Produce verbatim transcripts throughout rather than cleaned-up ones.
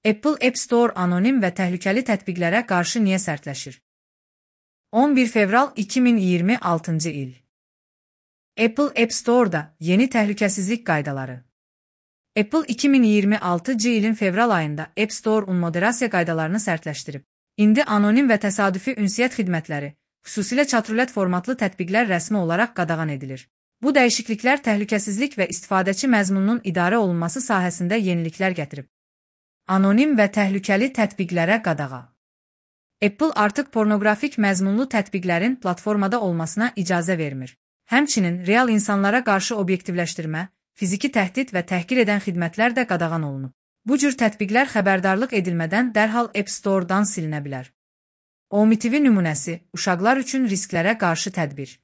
Apple App Store anonim və təhlükəli tətbiqlərə qarşı niyə sərtləşir? on bir fevral iki min iyirmi altıncı il. Apple App Store'da yeni təhlükəsizlik qaydaları. Apple iki min iyirmi altıncı ilin fevral ayında App Store moderasiya qaydalarını sərtləşdirib. İndi anonim və təsadüfi ünsiyyət xidmətləri, xüsusilə chat-rulət formatlı tətbiqlər rəsmi olaraq qadağan edilir. Bu dəyişikliklər təhlükəsizlik və istifadəçi məzmununun idarə olunması sahəsində yeniliklər gətirib. Anonim və təhlükəli tətbiqlərə qadağa. Apple artıq pornoqrafik məzmunlu tətbiqlərin platformada olmasına icazə vermir. Həmçinin real insanlara qarşı obyektivləşdirmə, fiziki təhdid və təhqir edən xidmətlər də qadağan olunub. Bu cür tətbiqlər xəbərdarlıq edilmədən dərhal App Store-dan silinə bilər. OMTV nümunəsi, uşaqlar üçün risklərə qarşı tədbir.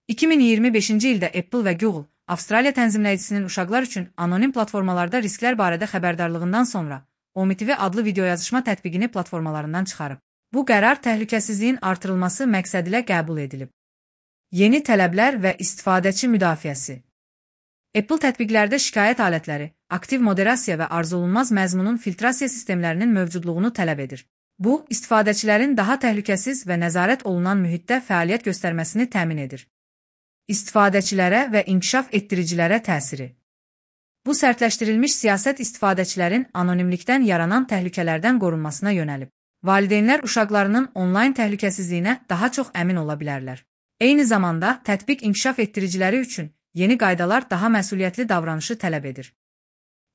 iki min iyirmi beşinci ildə Apple və Google, Avstraliya tənzimləyicisinin uşaqlar üçün anonim platformalarda risklər barədə xəbərdarlığından sonra OMTV adlı videoyazışma tətbiqini platformalarından çıxarıb. Bu qərar təhlükəsizliyin artırılması məqsədilə qəbul edilib. Yeni tələblər və istifadəçi müdafiəsi. Apple tətbiqlərdə şikayət alətləri, aktiv moderasiya və arzulunmaz məzmunun filtrasiya sistemlərinin mövcudluğunu tələb edir. Bu, istifadəçilərin daha təhlükəsiz və nəzarət olunan mühitdə fəaliyyət göstərməsini təmin edir. İstifadəçilərə və inkişaf etdiricilərə təsiri. Bu sərtləşdirilmiş siyasət istifadəçilərin anonimlikdən yaranan təhlükələrdən qorunmasına yönəlib. Valideynlər uşaqlarının onlayn təhlükəsizliyinə daha çox əmin ola bilərlər. Eyni zamanda, tətbiq inkişaf etdiriciləri üçün yeni qaydalar daha məsuliyyətli davranışı tələb edir.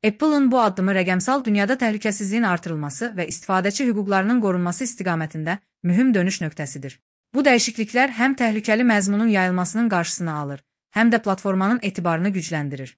Apple'ın bu addımı rəqəmsal dünyada təhlükəsizliyin artırılması və istifadəçi hüquqlarının qorunması istiqamətində mühüm dönüş nöqtəsidir. Bu dəyişikliklər həm təhlükəli məzmunun yayılmasının qarşısını alır, həm də platformanın etibarını gücləndirir.